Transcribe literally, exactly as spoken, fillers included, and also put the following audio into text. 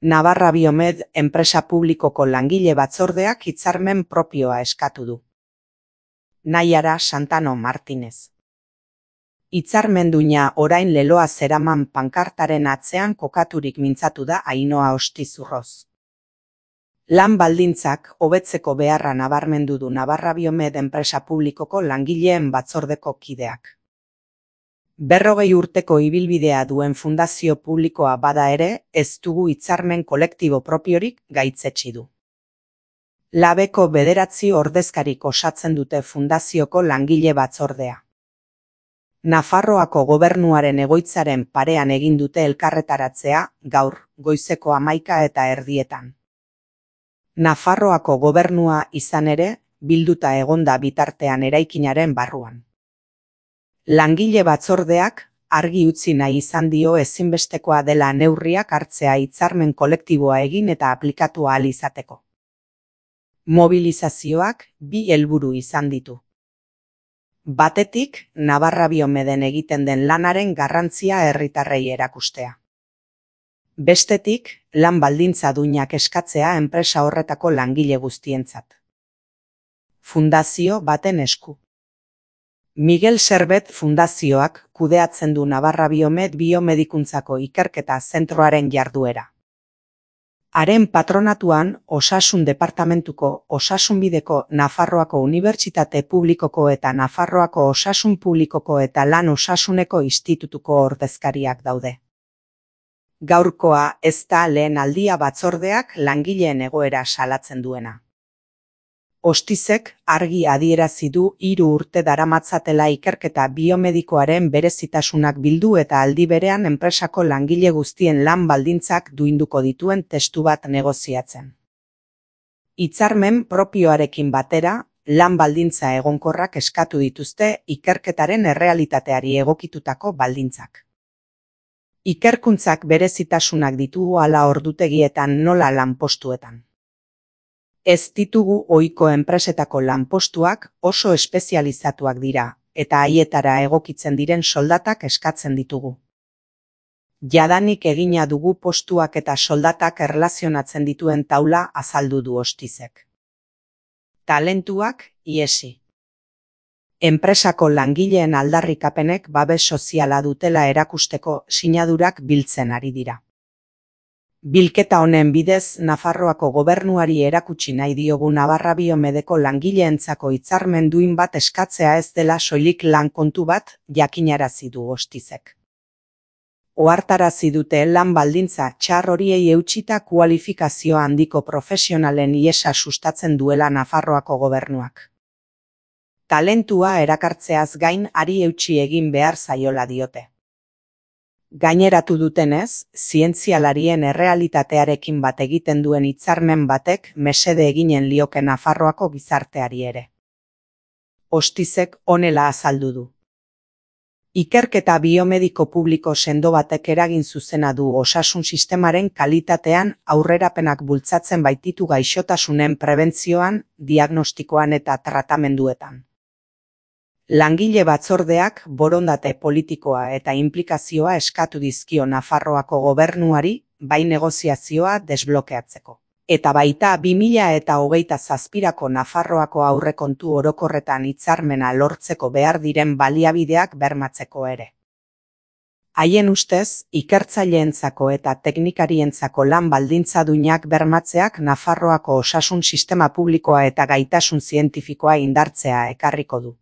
Navarra Biomed enpresa publikoko langile batzordeak hitzarmen propioa eskatu du. Naiara Santano Martinez. Hitzarmenduina orain leloa zeraman pankartaren atzean kokaturik mintzatu da Ainhoa Ostizurroz. Lan baldintzak hobetzeko beharra nabarmendu du Navarra Biomed enpresa publikoko langileen batzordeko kideak. Berrogei urteko ibilbidea duen fundazio publikoa bada ere, ez dugu hitzarmen kolektibo propiorik gaitzetsi du. Labeko bederatzi ordezkarik osatzen dute fundazioko langile batzordea. Nafarroako gobernuaren egoitzaren parean egin dute elkarretaratzea gaur, goizeko hamaika eta erdietan. Nafarroako gobernua izan ere, bilduta egonda bitartean eraikinaren barruan. Langile batzordeak argi utzi nahi izan dio ezinbestekoa dela neurriak hartzea hitzarmen kolektiboa egin eta aplikatu ahal izateko. Mobilizazioak bi helburu izan ditu. Batetik, Navarra Biomeden egiten den lanaren garrantzia herritarrei erakustea. Bestetik, lan baldintza duinak eskatzea enpresa horretako langile guztientzat. Fundazio baten esku. Miguel Servet Fundazioak kudeatzen du Navarra Biomed biomedikuntzako ikerketa zentroaren jarduera. Haren patronatuan, Osasun Departamentuko, Osasunbideko, Nafarroako Unibertsitate Publikoko eta Nafarroako Osasun Publikoko eta Lan Osasuneko Institutuko ordezkariak daude. Gaurkoa ez da lehen aldia batzordeak langileen egoera salatzen duena. Ostizek argi adierazi du hiru urte daramatzatela ikerketa biomedikoaren berezitasunak bildu eta aldi berean enpresako langile guztien lan baldintzak duinduko dituen testu bat negoziatzen. Hitzarmen propioarekin batera, lan baldintza egonkorrak eskatu dituzte ikerketaren errealitateari egokitutako baldintzak. Ikerkuntzak berezitasunak ditugu hala ordutegietan nola lanpostuetan. Ez ditugu ohiko enpresetako lanpostuak oso espezializatuak dira, eta haietara egokitzen diren soldatak eskatzen ditugu. Jadanik egina dugu postuak eta soldatak erlazionatzen dituen taula azaldu du Ostizek. Talentuak ihesi. Enpresako langileen aldarrikapenek babes soziala dutela erakusteko sinadurak biltzen ari dira. Bilketa honen bidez, Nafarroako gobernuari erakutsi nahi diogu Navarra Biomedeko langileentzako hitzarmen duin bat eskatzea ez dela soilik lan kontu bat jakinarazi du Ostizek. Ohartarazi dute lan baldintza txar horiei eutsita kualifikazio handiko profesionalen ihesa sustatzen duela Nafarroako gobernuak. Talentua erakartzeaz gain hari eutsi egin behar zaiola diote. Gaineratu dutenez, zientzialarien errealitatearekin bat egiten duen hitzarmen batek mesede eginen lioke Nafarroako gizarteari ere. Ostizek honela azaldu du. Ikerketa biomediko publiko sendo batek eragin zuzena du osasun sistemaren kalitatean aurrerapenak bultzatzen baititu gaixotasunen prebentzioan, diagnostikoan eta tratamenduetan. Langile batzordeak borondate politikoa eta inplikazioa eskatu dizkio Nafarroako gobernuari, bai negoziazioa desblokeatzeko. Eta baita bi mila eta hogeita zazpirako Nafarroako aurrekontu orokorretan hitzarmena lortzeko behar diren baliabideak bermatzeko ere. Haien ustez, ikertzaileentzako eta teknikarientzako lan baldintza duinak bermatzeak Nafarroako osasun sistema publikoa eta gaitasun zientifikoa indartzea ekarriko du.